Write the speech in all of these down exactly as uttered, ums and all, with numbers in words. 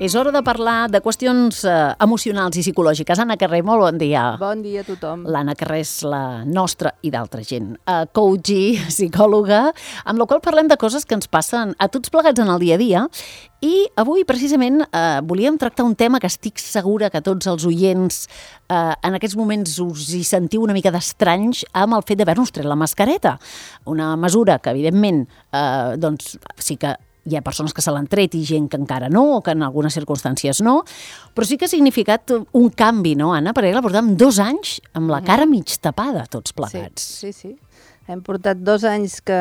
És hora de parlar de qüestions eh, emocionals i psicològiques. Anna Carrer, molt bon dia. Bon dia a tothom. L'Anna Carrer és la nostra i d'altra gent. Uh, coach i psicòloga, amb la qual parlem de coses que ens passen a tots plegats en el dia a dia. I avui, precisament, eh, volíem tractar un tema que estic segura que tots els oients eh, en aquests moments us hi sentiu una mica d'estranys amb el fet d'haver-nos tret la mascareta. Una mesura que, evidentment, eh, doncs, sí que hi ha persones que se l'han tret i gent que encara no, o que en algunes circumstàncies no, però sí que ha significat un canvi, no, Anna? Perquè la portàvem dos anys amb la cara mig tapada, tots plegats. Sí, sí, sí. Hem portat dos anys que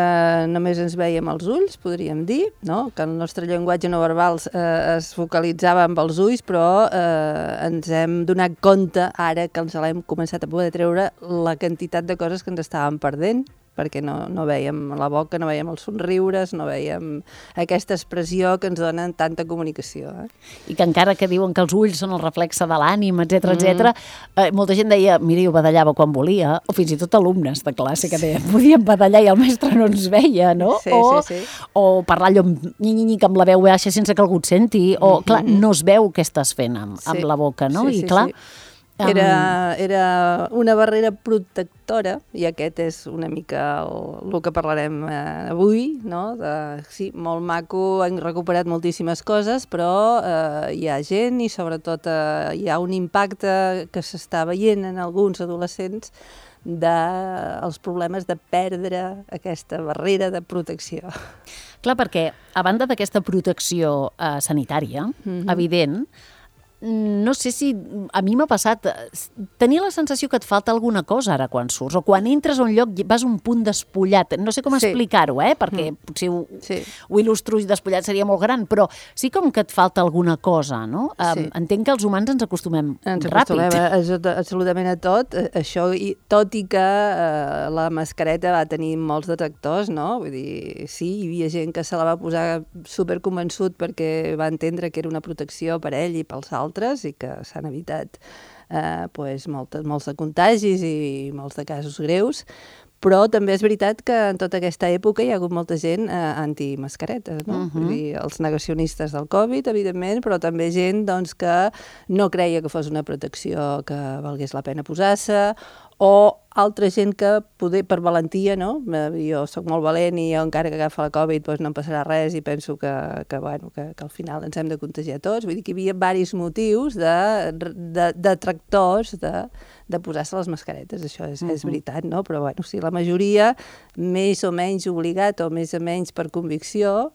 només ens veiem els ulls, podríem dir, no? Que el nostre llenguatge no verbal eh, es focalitzava amb els ulls, però eh, ens hem donat compte ara que ens l'hem començat a poder treure la quantitat de coses que ens estàvem perdent, perquè no, no veiem la boca, no veiem els somriures, no veiem aquesta expressió que ens donen tanta comunicació. Eh? I que encara que diuen que els ulls són el reflexe de l'ànim, etcètera, mm. etcètera, eh, molta gent deia, mira, jo badallava quan volia, o fins i tot alumnes de classe que deien, podíem badallar i el mestre no ens veia, no? Sí, o, sí, sí. O parlar allò nyi-nyi-nyi amb la veu baixa sense que algú et senti, o, clar, no es veu què estàs fent amb, sí. amb la boca, no? Sí, I clar... Sí, sí. Era, era una barrera protectora, i aquest és una mica el, el que parlarem eh, avui, no? De, sí, molt maco, hem recuperat moltíssimes coses, però eh, hi ha gent i sobretot eh, hi ha un impacte que s'està veient en alguns adolescents dels de, problemes de perdre aquesta barrera de protecció. Clar, perquè a banda d'aquesta protecció eh, sanitària, mm-hmm. evident, no sé si a mi m'ha passat tenir la sensació que et falta alguna cosa ara quan surts, o quan entres a un lloc vas un punt despullat, no sé com sí. explicar-ho, eh? perquè mm. potser ho, sí. ho il·lustro i despullat seria molt gran, però sí com que et falta alguna cosa, no? Sí. Um, entenc que els humans ens acostumem ens ràpid. Ens acostumem absolutament a tot, això, i, tot i que eh, la mascareta va tenir molts detractors, no? Vull dir, sí, hi havia gent que se la va posar superconvençut perquè va entendre que era una protecció per ell i pels altres, i que s'han evitat eh, pues, moltes, molts de contagis i molts de casos greus, però també és veritat que en tota aquesta època hi ha hagut molta gent eh, antimascaretes, no? Uh-huh. Vull dir, els negacionistes del Covid, evidentment, però també gent doncs, que no creia que fos una protecció que valgués la pena posar-se, o altra gent que poder, per valentia, no? Jo soc molt valent i jo encara que agafa la Covid doncs no em passarà res i penso que, que, bueno, que, que al final ens hem de contagiar tots. Vull dir que hi havia diversos motius de, de, de tractors de, de posar-se les mascaretes, això és, uh-huh. és veritat, no? Però bueno, sí, la majoria, més o menys obligat o més o menys per convicció,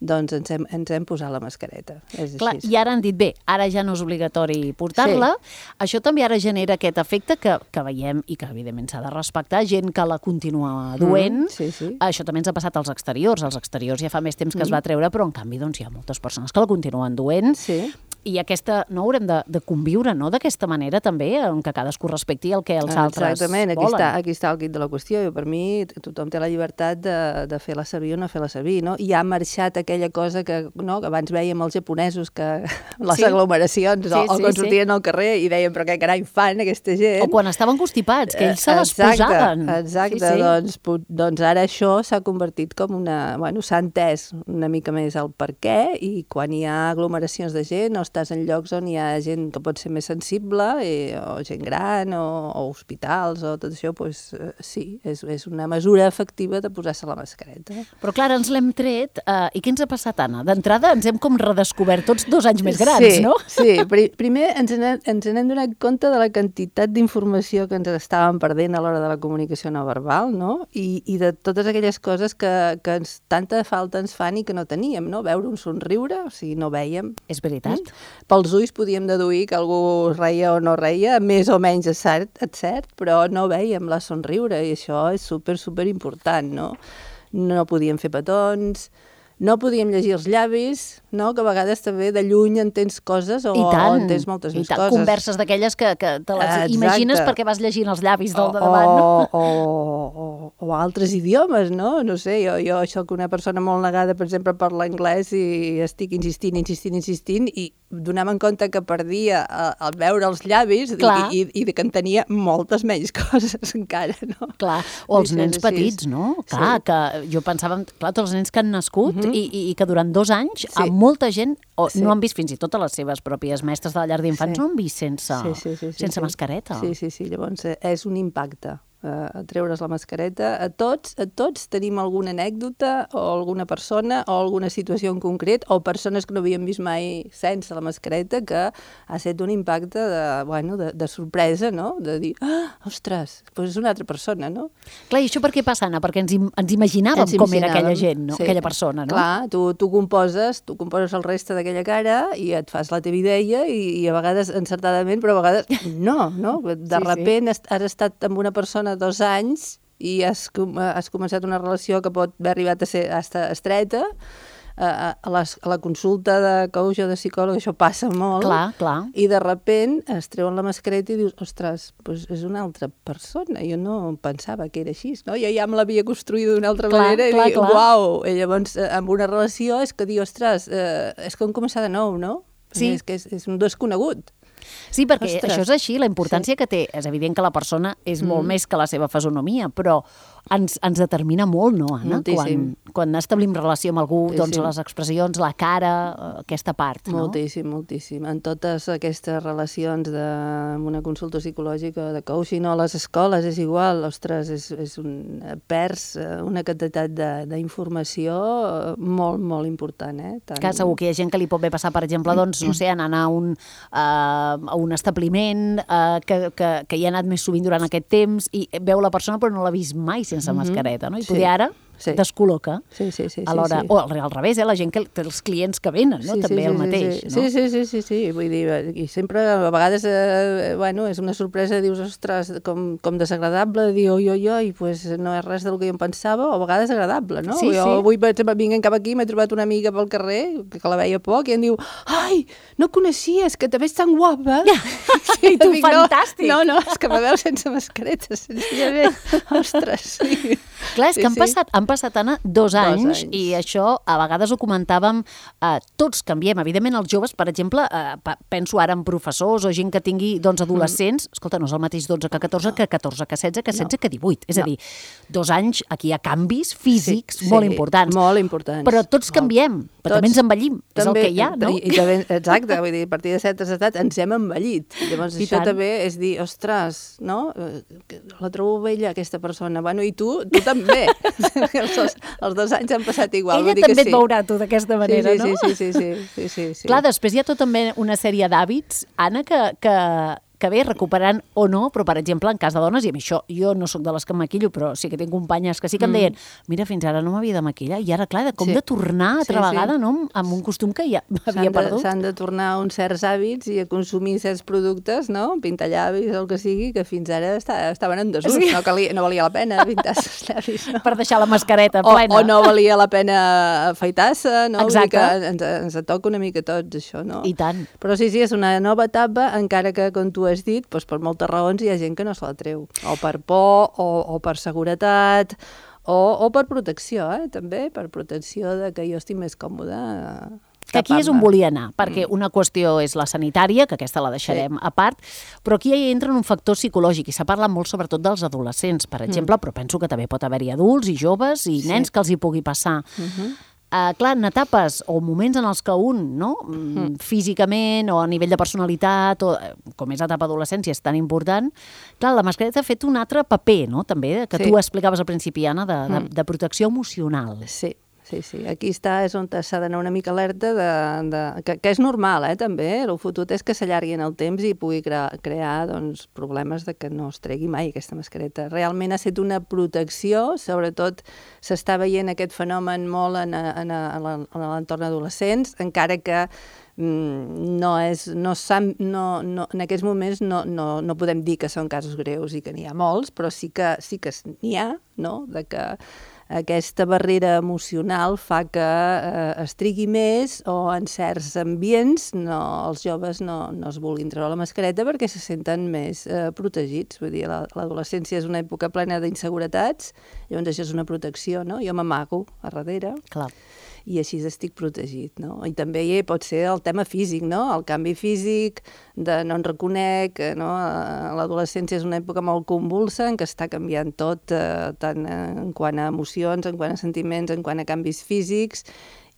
doncs ens hem, ens hem posat la mascareta. És Clar, així. I ara han dit, bé, ara ja no és obligatori portar-la. Sí. Això també ara genera aquest efecte que, que veiem i que evidentment s'ha de respectar, gent que la continua duent. Mm, sí, sí. Això també ens ha passat als exteriors. Als exteriors ja fa més temps que mm. es va treure, però en canvi doncs, hi ha moltes persones que la continuen duent. Sí. I aquesta, no haurem de, de conviure, no?, d'aquesta manera també, en què cadascú respecti el que els altres Exactament, aquí volen. està, aquí està el quid de la qüestió. I per mi tothom té la llibertat de, de fer-la servir o no fer-la servir, no? I ha marxat aquella cosa que, no, que abans vèiem els japonesos, que les sí. aglomeracions, sí, o, o sí, quan sí. sortien al carrer i deien, però què carai fan aquesta gent? O quan estaven constipats, que ells se les exacte, posaven. Exacte, sí, sí. Doncs, doncs ara això s'ha convertit com una... Bueno, s'ha entès una mica més el per què, i quan hi ha aglomeracions de gent o estàs en llocs on hi ha gent que pot ser més sensible, i, o gent gran, o, o hospitals, o tot això, doncs sí, és, és una mesura efectiva de posar-se la mascareta. Però clar, ens l'hem tret, eh, i què ens ha passat, Anna? D'entrada ens hem com redescobert tots dos anys més grans, sí, no? Sí, primer ens n'hem, ens n'hem donat compte de la quantitat d'informació que ens estàvem perdent a l'hora de la comunicació no verbal, no? I, i de totes aquelles coses que, que ens, tanta falta ens fan i que no teníem, no? Veure un somriure, o sigui, no veiem. És veritat. Mm? Pels ulls podíem deduir que algú reia o no reia, més o menys és cert, és cert, però no veiem la somriure, i això és super, super important, no? No podíem fer petons, no podíem llegir els llavis, no? Que a vegades també de lluny entens coses o, o entens moltes més coses. Converses d'aquelles que, que te les Exacte. imagines perquè vas llegint els llavis del de davant. O, o, o, o, o altres idiomes, no? No sé, jo, jo soc una persona molt negada, per exemple, per l'anglès i estic insistint, insistint, insistint i donant-me en compte que perdia al veure els llavis i, i, i que en tenia moltes menys coses encara, no? Clar, o els nens petits, no? Clar, sí. que jo pensava, clar, tots els nens que han nascut uh-huh. i, i, i que durant dos anys sí. molta gent o sí. no han vist fins i tot a les seves pròpies mestres de la llar d'infants, sí. no han vist sense, sí, sí, sí, sí, sense sí. mascareta. Sí, sí, sí, llavors és un impacte. Uh, a treure's la mascareta. A tots, a tots tenim alguna anècdota o alguna persona o alguna situació en concret o persones que no havíem vist mai sense la mascareta que ha estat un impacte de, bueno, de, de sorpresa, no? De dir, ah, ostres, doncs és una altra persona, no? Clar, i això per què passa, Anna? Perquè ens, im ens imaginàvem ens com era aquella gent, no? Sí. Aquella persona, no? Clar, tu, tu composes tu composes el reste d'aquella cara i et fas la teva idea i, i a vegades encertadament, però a vegades no, no? De sí, repent sí. has estat amb una persona dos anys i has, has començat una relació que pot haver arribat a ser a estar estreta, a, a, les, a la consulta de coach o de psicòleg això passa molt, clar, clar. I de repent es treuen la mascareta i dius, ostres, doncs és una altra persona, jo no pensava que era així, no? Jo ja me l'havia construït d'una altra clar, manera i clar, dic, clar. Uau, i llavors amb una relació és que dir, ostres, eh, és com començar de nou, no? Sí. És que és, és un desconegut. Sí, perquè Ostres. això és així, la importància sí. que té. És evident que la persona és mm. molt més que la seva fisonomia, però ens, ens determina molt, no, Anna? Quan, quan establim relació amb algú, moltíssim. Doncs les expressions, la cara, aquesta part, no? Moltíssim, moltíssim. En totes aquestes relacions de, amb una consulta psicològica, de coaching, o a les escoles és igual, ostres, és, és un, perds una quantitat d'informació molt, molt important, eh? Tant... Que segur que hi ha gent que li pot bé passar, per exemple, doncs, no sé, anar a un, uh, a un establiment uh, que, que, que hi ha anat més sovint durant aquest temps i veu la persona però no l'ha vist mai sense mm-hmm. mascareta, no? I poder sí. ara sí. descol·loca. Sí, sí, sí. Alhora, sí, sí. O al revés, eh? La gent que els clients que venen, no? Sí, També sí, el sí, mateix, sí. no? Sí, sí, sí, sí, sí. Vull dir, i sempre, a vegades, eh, bueno, és una sorpresa, dius, ostres, com, com desagradable, dir, oi, oi, oi, pues no és res del que jo em pensava, o a vegades agradable, no? Sí, jo sí. avui, per exemple, vinguent cap aquí, m'he trobat una amiga pel carrer, que la veia poc, i em diu, ai, no coneixies, que també és tan guapa. I tu, dic, fantàstic. No, no, és que me veu sense mascareta, senzillament. Ostres, sí. Clar, és sí, que han sí. passat, han passat, Anna, dos, dos anys, anys, i això a vegades ho comentàvem, eh, tots canviem. Evidentment, els joves, per exemple, eh, penso ara en professors o gent que tingui doncs, adolescents, mm. escolta, no és el mateix dotze que catorze, no. que catorze que setze, que setze, no. que divuit. És no. a dir, dos anys, aquí hi ha canvis físics sí, molt sí, importants. Molt importants. Però tots molt. canviem, però tots, també ens envellim, també, és el que hi ha, no? I, i també, exacte, vull dir, a partir de certes edats ens hem envellit. Llavors I això tant. també és dir, ostres, no? La trobo vella, aquesta persona. Bueno, i tu, tu també. els, dos, els dos anys han passat igual. Ella vull dir també que sí. et veurà tu d'aquesta manera, sí, sí, no? Sí, sí, sí, sí, sí, sí. Clar, després hi ha tot també una sèrie d'hàbits, Anna, que, que, que bé, recuperant o no, però per exemple, en cas de dones, i a mi això, jo no sóc de les que em maquillo, però sí que tinc companyes que sí que em deien, mira, fins ara no m'havia de maquillar, i ara, clar, com sí. de tornar altra sí, vegada, sí. no?, amb un costum que ja havia perdut. S'han de tornar a uns certs hàbits i a consumir certs productes, no?, pintallavis o el que sigui, que fins ara està, estaven en desús, sí. no, calia, no valia la pena pintar-se els llavis, no? Per deixar la mascareta o, plena. O no valia la pena afaitar-se, no? Exacte. Vull dir que ens, ens toca una mica tots, això, no? I tant. Però sí, sí, és una nova etapa, encara que, com tu has dit, doncs per moltes raons hi ha gent que no se la treu. O per por, o, o per seguretat, o, o per protecció, eh? També, per protecció de que jo estic més còmode. Que aquí és on volia anar, perquè una qüestió és la sanitària, que aquesta la deixarem sí. a part, però aquí hi entra un factor psicològic, i s'ha parlat molt sobretot dels adolescents, per exemple, mm. però penso que també pot haver-hi adults i joves i sí. nens que els hi pugui passar. Mm-hmm. Uh, clar, en etapes o moments en els que un, no, mm. físicament o a nivell de personalitat, o com és l'etapa d'adolescència, és tan important, clar, la mascareta ha fet un altre paper, no?, també, que sí. tu explicaves al principi, Anna, de, de, de protecció emocional. Sí. Sí, sí. Aquí està, és on s'ha d'anar una mica alerta, de, de, que, que és normal, eh, també. El fotut és que s'allargui en el temps i pugui crear, crear doncs, problemes de que no es tregui mai aquesta mascareta. Realment ha estat una protecció, sobretot s'està veient aquest fenomen molt en, en, en, en l'entorn adolescents, encara que mm, no és, no, no, no, en aquests moments no, no, no podem dir que són casos greus i que n'hi ha molts, però sí que, sí que n'hi ha, no?, de que aquesta barrera emocional fa que eh, es trigui més o en certs ambients no, els joves no, no es vulguin treure la mascareta perquè se senten més eh, protegits. Vull dir, l'adolescència és una època plena d'inseguretats, llavors això és una protecció, no? Jo m'amago a darrere. Clar. I així estic protegit, no? I també hi pot ser el tema físic, no? El canvi físic, de no en reconec, no? L'adolescència és una època molt convulsa en què està canviant tot, eh, tant en quant a emocions, en quant a sentiments, en quant a canvis físics,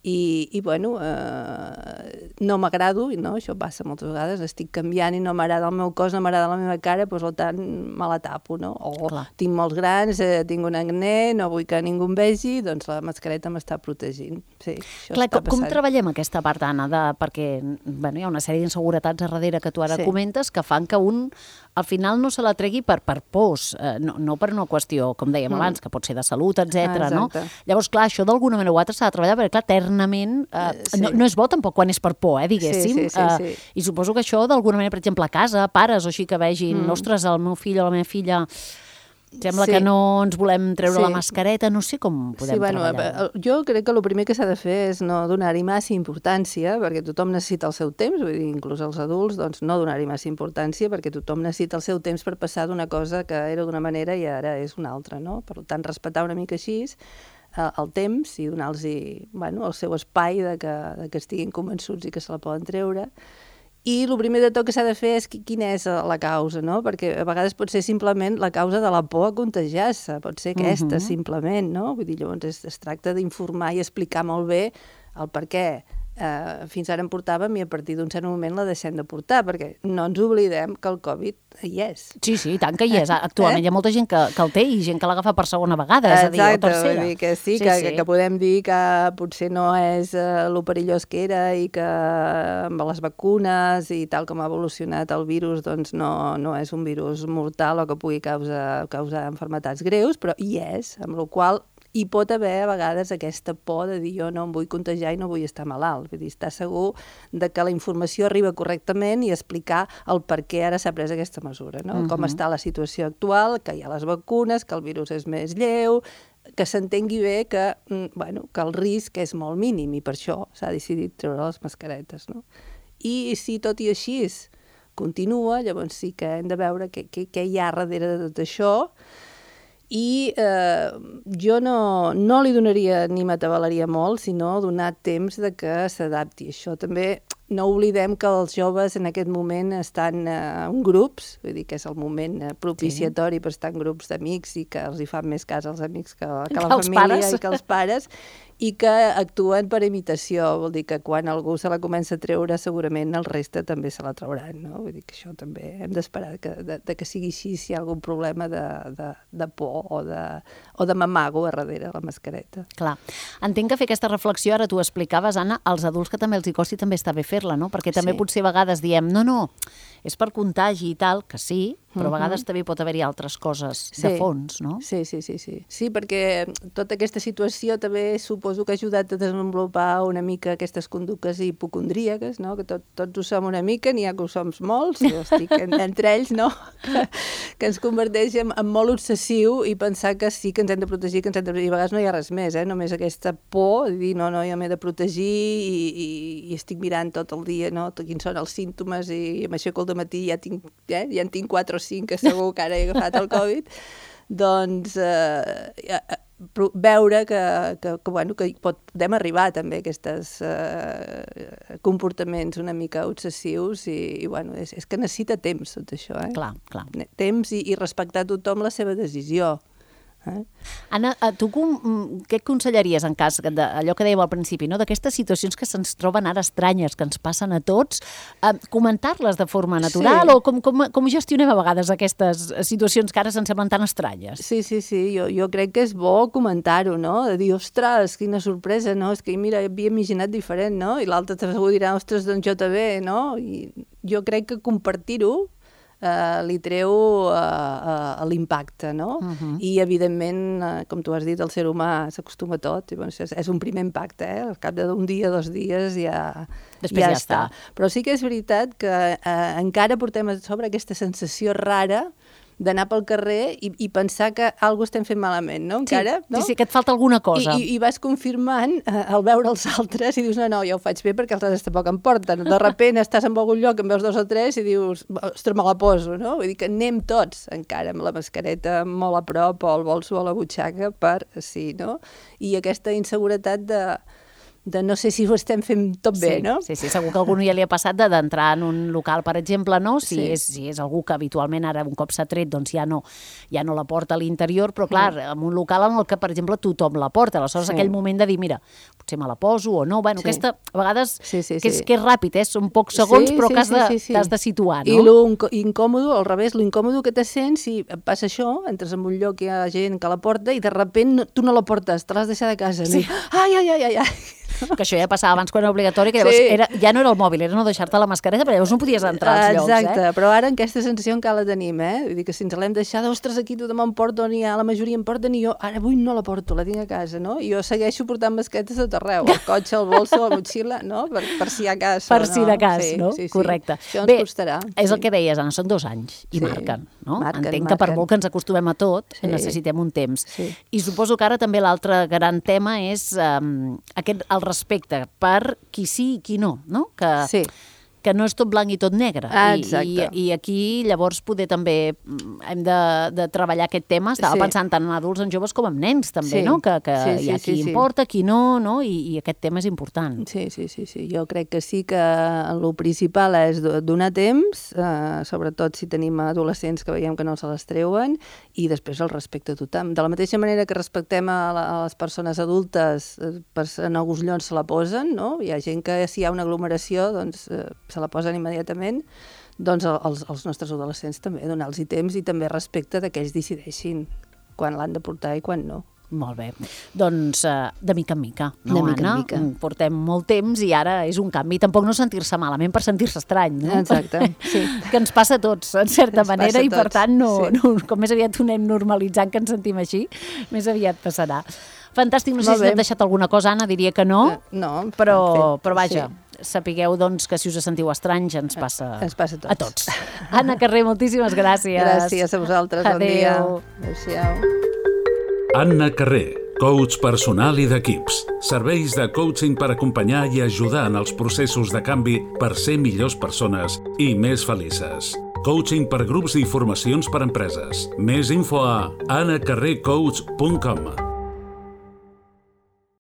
i, i bueno, eh, no m'agrado, no? Això passa moltes vegades, estic canviant i no m'agrada el meu cos, no m'agrada la meva cara, doncs, per tant, me la tapo, no? O Clar. tinc molts grans, eh, tinc un acné, no vull que ningú em vegi, doncs la mascareta m'està protegint. Sí, això Clar, està com, com treballem aquesta part, Anna, de, perquè bueno, hi ha una sèrie d'inseguretats a darrere que tu ara sí. comentes que fan que un al final no se la tregui per, per pors, eh, no, no per una qüestió, com dèiem mm. abans, que pot ser de salut, etcètera. Ah, no? Llavors, clar, això d'alguna manera o altra s'ha de treballar, perquè, clar, eternament eh, sí. no, no és bo tampoc quan és per por, eh, diguéssim. Sí, sí, sí, sí. Eh, I suposo que això, d'alguna manera, per exemple, a casa, pares o així que vegin, mm. ostres, el meu fill o la meva filla sembla sí. que no ens volem treure sí. la mascareta, no sé com podem sí, bueno, treballar. Jo crec que el primer que s'ha de fer és no donar-hi massa importància, perquè tothom necessita el seu temps, vull dir, inclús els adults, doncs no donar-hi massa importància, perquè tothom necessita el seu temps per passar d'una cosa que era d'una manera i ara és una altra, no? Per tant, respectar una mica així eh, el temps i donar-los bueno, el seu espai de que, de que estiguin convençuts i que se la poden treure. I el primer de tot que s'ha de fer és quina és la causa, no? Perquè a vegades pot ser simplement la causa de la por a contagiar-se, pot ser aquesta, uh-huh. simplement, no? Vull dir, llavors es, es tracta d'informar i explicar molt bé el per què. Uh, fins ara en portàvem i a partir d'un cert moment la deixem de portar, perquè no ens oblidem que el Covid hi és. Sí, sí, tant que hi és. Actualment eh? hi ha molta gent que, que el té i gent que l'agafa per segona vegada, és Exacte, a dir, o tercera. Vull dir que sí, sí, que, sí. que podem dir que potser no és uh, lo perillós que era i que amb les vacunes i tal com ha evolucionat el virus doncs no, no és un virus mortal o que pugui causar, causar malalties greus, però hi és, amb la qual cosa hi pot haver a vegades aquesta por de dir jo no em vull contagiar i no vull estar malalt. Vull dir, estar segur de que la informació arriba correctament i explicar el per què ara s'ha pres aquesta mesura, no? Uh-huh. Com està la situació actual, que hi ha les vacunes, que el virus és més lleu, que s'entengui bé que, bueno, que el risc és molt mínim i per això s'ha decidit treure les mascaretes, no? I si tot i així continua, llavors sí que hem de veure què, què, què hi ha darrere de tot això. I eh, jo no, no li donaria ni m'atabalaria molt, sinó donar temps de que s'adapti. Això també no oblidem que els joves en aquest moment estan eh, en grups, vull dir que és el moment eh, propiciatori sí. per estar en grups d'amics i que els hi fan més cas als amics que, que, que la família pares. I que els pares, i que actuen per imitació, vol dir que quan algú se la comença a treure segurament el reste també se la trauran, no? Vull dir que això també hem d'esperar que, de, de que sigui així si hi ha algun problema de, de, de por o de, o de mamago a darrere la mascareta. Clar. Entenc que fer aquesta reflexió, ara tu explicaves, Anna, als adults que també els hi costi també està bé fer-la, no? Perquè també sí. potser a vegades diem, no, no, és per contagi i tal, que sí, però a vegades uh-huh. també pot haver-hi altres coses sí. de fons, no? Sí, sí, sí, sí. Sí, perquè tota aquesta situació també suposo que ha ajudat a desenvolupar una mica aquestes conductes hipocondríaques, no? Que tot, tots ho som una mica, n'hi ha que ho som molts, jo estic en, entre ells, no? Que, que ens converteix en, en molt obsessiu i pensar que sí que ens hem de protegir, que ens hem de protegir. I a vegades no hi ha res més, eh? Només aquesta por de dir, no, no, jo m'he de protegir i, i, i estic mirant tot el dia, no? Quins són els símptomes i, i m'aixeco al dematí i ja, tinc, eh? ja en tinc quatre o cinc que segur que ara he agafat el Covid, doncs eh, veure que, que, que, bueno, que pot, podem arribar també a aquests eh, comportaments una mica obsessius i, i bueno, és, és que necessita temps tot això. Eh? Clar, clar. Temps i, i respectar a tothom la seva decisió. Eh? Anna, tu com, què aconsellaries en cas d'allò que dèiem al principi, no? D'aquestes situacions que se'ns troben ara estranyes, que ens passen a tots, eh, comentar-les de forma natural sí. o com, com, com gestionem a vegades aquestes situacions que ara se'ns semblen tan estranyes? Sí, sí, sí, jo, jo crec que és bo comentar-ho, no? De dir, ostres, quina sorpresa, no? És que mira, havia imaginat diferent, no? I l'altre segur dirà, ostres, doncs jo també, no? I jo crec que compartir-ho Uh, li treu uh, uh, l'impacte, no? Uh-huh. I, evidentment, uh, com tu has dit, el ser humà s'acostuma a tot, i bueno, és, és un primer impacte, eh? Al cap d'un dia, dos dies, ja, Després ja, ja està. està. Però sí que és veritat que uh, encara portem a sobre aquesta sensació rara d'anar pel carrer i, i pensar que alguna cosa estem fent malament, no? Encara, sí, no? Sí, sí, que et falta alguna cosa. I, i, i vas confirmant eh, al veure els altres i dius, no, no, jo ho faig bé perquè els altres tampoc em porten. De repente estàs en algun lloc, en veus dos o tres i dius, ostres, me la poso, no? Vull dir que anem tots encara amb la mascareta molt a prop o el bolso a la butxaca per, sí, no? I aquesta inseguretat de de no sé si ho estem fent tot bé, sí, no? Sí, sí, segur que a algú ja li ha passat de- d'entrar en un local, per exemple, no? Si, Sí. és, si és algú que habitualment ara un cop s'ha tret, doncs ja no, ja no la porta a l'interior, però clar, mm. en un local en el que, per exemple, tothom la porta. Aleshores, Sí. aquell moment de dir, mira, potser me la poso o no, bueno, Sí. aquesta, a vegades, Sí, sí, que, és, sí. que és ràpid, eh? Són pocs segons, Sí, però sí, que has de, sí, sí, sí. t'has de situar, no? I lo inco- incòmodo, al revés, lo incòmodo que te sents si et passa això, entres en un lloc que hi ha gent que la porta i de sobte no, tu no la portes, te l'has deixat a casa. Sí. No? Ai, ai, ai, ai, ai. Que això ja passava abans quan era obligatori, que llavors Sí. era, ja no era el mòbil, era no deixar-te la mascareta, però llavors no podies entrar als llocs, Exacte, eh? però ara aquesta sensació encara la tenim, eh? Vull dir que si ens l'hem deixada, ostres, aquí tothom em porta, ni ha, la majoria em porten, i jo ara avui no la porto, la tinc a casa, no? I jo segueixo portant mascaretes a tot arreu, al cotxe, al bolso, a la motxilla, no? Per, per si a cas. Per si de cas, sí, no? Sí, sí. Correcte. Això ens Bé, costarà. és sí. el que deies, Anna, són dos anys i Sí. marquen, no? Marquen, Entenc que per marquen. molt que ens acostumem a tot, Sí. necessitem un temps. Sí. I suposo que ara també l'altre gran tema és um, aquest, el respecte per qui sí i qui no, no? Que, Sí. que no és tot blanc i tot negre. Ah, I, exacte. i, I aquí, llavors, poder també mm, hem de, de treballar aquest tema. Estava Sí. pensant tant en adults, en joves, com en nens, també, Sí. no? Que, que Sí, sí, hi ha qui sí, sí. importa, qui no, no? I, I aquest tema és important. Sí, sí, sí, sí. Jo crec que sí que el principal és do- donar temps, eh, sobretot si tenim adolescents que veiem que no se les treuen, i després el respecte a tothom. De la mateixa manera que respectem a, la, a les persones adultes, eh, per, en alguns llocs se la posen, no? Hi ha gent que si hi ha una aglomeració doncs, eh, se la posen immediatament, doncs els, els nostres adolescents també, donar-los temps i també respecte de que ells decideixin quan l'han de portar i quan no. Molt bé. Doncs uh, de mica en mica, no, De mica en Anna? mica. Portem molt temps i ara és un canvi. Tampoc no sentir-se malament per sentir-se estrany, no? Exacte, sí. Que ens passa a tots, en certa Ens manera, passa a i per tots, tant, no, sí. no, com més aviat ho anem normalitzant que ens sentim així, més aviat passarà. Fantàstic, no sé Molt si bé. t'hem deixat alguna cosa, Anna, diria que no, Eh, no, però, en fet, però vaja, sí. sapigueu doncs, que si us sentiu estranys ens passa, Ens passa a tots. a tots. Anna Carrer, moltíssimes gràcies. Gràcies a vosaltres, bon dia. Adéu. Adéu-siau. Anna Carrer, coach personal i d'equips. Serveis de coaching per acompanyar i ajudar en els processos de canvi per ser millors persones i més felices. Coaching per grups i formacions per empreses. Més info a anna carrer coach punt com.